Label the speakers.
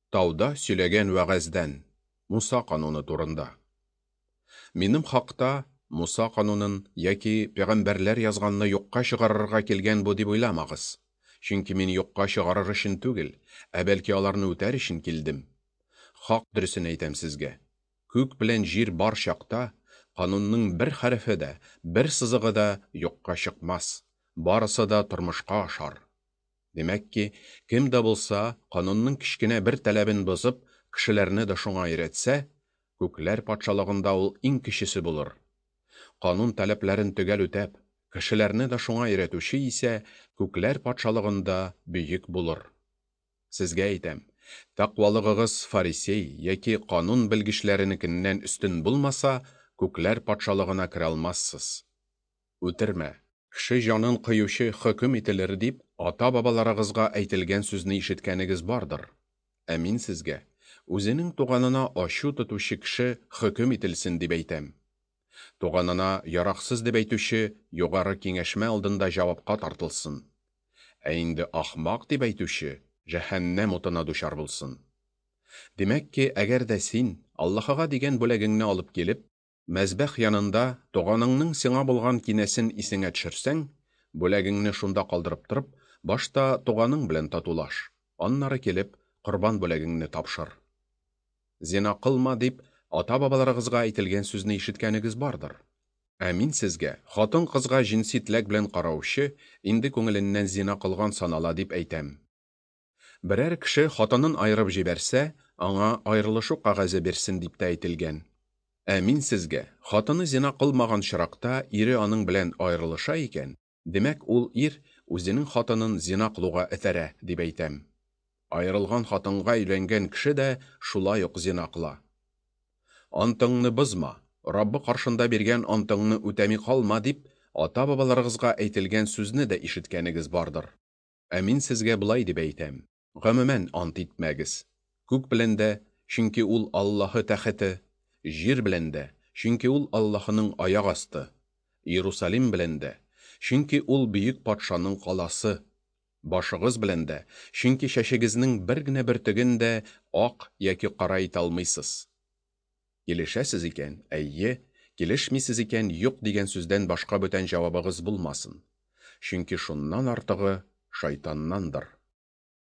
Speaker 1: Тауда сөйләгән вәгазьдән, Муса кануны турында. Минем хакта Муса канунын яки пәйгамбәрләр язганны юкка чыгарырга килгән бу дип уйламагыз. Чөнки мин юкка чыгарыр өчен түгел, ә бәлки аларны үтәр өчен килдем. Хак дөресен әйтәм сезгә. Күк белән җир бар чакта, канунның бер хәрефе дә, бер сызыгы да юкка чыкмас, барысы да тормышка ашар. Димәк ки, кем дә булса канунның кечкенә бер таләбен бозып, кешеләрне дә шуңа өйрәтсә, күкләр патшалыгында ул иң кечесе булыр. Канун таләпләрен төгәл үтәп, кешеләрне дә шуңа өйрәтүче исә күкләр патшалыгында бөек булыр. Сезгә әйтәм, тәкъвалыгыгыз фарисей яки канун белгечләренекеннән өстен булмаса, күкләр патшалыгына керә алмассыз. Үтермә, кеше җанын кыючы хөкем ителер дип, ата-бабаларыгызга әйтелгән сүзне ишеткәнегез бардыр. Ә мин сезгә, үзенең туганына ачу тотучы кеше хөкем ителсен дип әйтәм. Туганына яраксыз дип әйтүче югары киңәшмә алдында җавапка тартылсын. Ә инде ахмак дип әйтүче җәһәннәм утына дучар булсын. Димәк ки, әгәр дә син Аллаһыга дигән бүләгеңне алып килеп, мәзбәх янында туганыңның сиңа булган кинәсен исеңә төшерсәң, бүләгеңне шунда калдырып торып, башта туганың белән татулаш, аннары килеп, корбан бүләгеңне тапшыр. Зина кылма дип, ата-бабаларыгызга әйтелгән сүзне ишеткәнегез бардыр. Ә мин сезгә, хатын-кызга җенси теләк белән караучы инде күңеленнән зина кылган санала дип әйтәм. Берәр кеше хатынын аерып җибәрсә, аңа аерылышу кәгазе бирсен дип тә әйтелгән. Ә мин сезгә, хатыны зина кылмаган очракта ире аның белән аерылыша икән, димәк, ул ир үзенең хатынын зина кылуга этәрә, дип әйтәм. Аерылган хатынга өйләнгән кеше дә шулай ук зина кыла. Антыңны бозма, Раббы каршында биргән антыңны үтәми калма дип, ата-бабаларыгызга әйтелгән сүзне дә ишеткәнегез бардыр. Ә мин сезгә болай дип әйтәм, гомумән ант итмәгез. Күк белән дә, чөнки ул Аллаһы тәхете, җир белән дә, чөнки ул Аллаһының аяк асты, Иерусалим белән дә, чөнки ул бөек патшаның каласы, башыгыз белән дә, чөнки чәчегезнең бер генә бөртеген дә ак яки кара итә алмыйсыз. Килешәсез икән, әйе, килешмисез икән, юк дигән сүздән башка бүтән җавабыгыз булмасын. Чөнки шуннан артыгы шайтаннандыр.